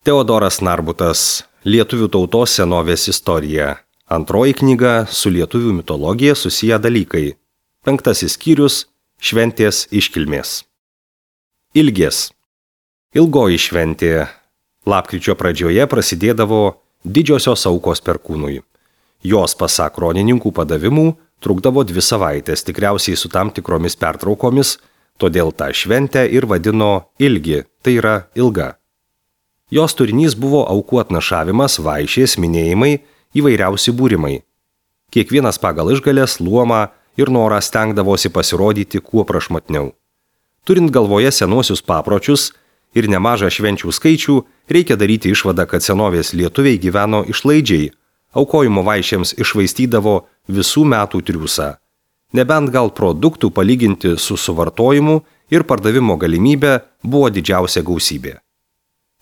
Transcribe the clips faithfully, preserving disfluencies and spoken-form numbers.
Teodoras Narbutas, Lietuvių tautos senovės istorija. Antroji knyga su lietuvių mitologija susiję dalykai. Penktasis skyrius – šventės iškilmės. Ilgės. Ilgoji šventė. Lapkričio pradžioje prasidėdavo didžiosios aukos perkūnui. Jos, pasak kronininkų padavimų, trukdavo dvi savaitės, tikriausiai su tam tikromis pertraukomis, todėl tą šventę ir vadino ilgi, tai yra ilga. Jos turinys buvo aukų atnašavimas, vaišės, minėjimai, įvairiausi būrimai. Kiekvienas pagal išgalės, luomą ir norą stengdavosi pasirodyti kuo prašmatniau. Turint galvoje senuosius papročius ir nemažą švenčių skaičių, reikia daryti išvadą, kad senovės lietuviai gyveno išlaidžiai, aukojimo vaišėms išvaistydavo visų metų triūsą. Nebent gal produktų palyginti su suvartojimu ir pardavimo galimybė buvo didžiausia gausybė.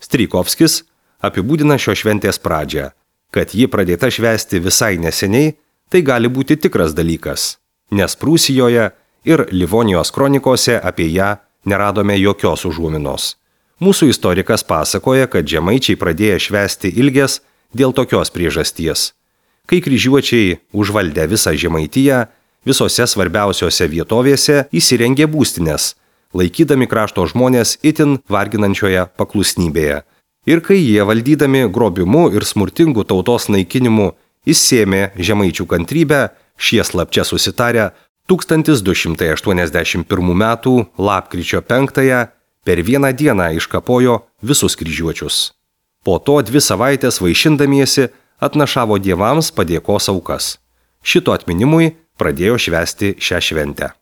Strijkovskis apibūdina šio šventės pradžią. Kad ji pradėta švęsti visai neseniai, tai gali būti tikras dalykas, nes Prūsijoje ir Livonijos kronikose apie ją neradome jokios užuominos. Mūsų istorikas pasakoja, kad žemaičiai pradėjo švęsti ilges dėl tokios priežasties. Kai kryžiuočiai užvaldė visą Žemaitiją, visose svarbiausiose vietovėse įsirengė būstines, laikydami krašto žmonės itin varginančioje paklusnybėje. Ir kai jie valdydami grobimu ir smurtingu tautos naikinimu įsėmė žemaičių kantrybę, šie slapčia susitarę tūkstantis du šimtai aštuoniasdešimt pirmų metų lapkričio penktąją per vieną dieną iškapojo visus kryžiuočius. Po to dvi savaitės vaišindamiesi atnašavo dievams padėkos aukas. Šito atminimui pradėjo švęsti šią šventę.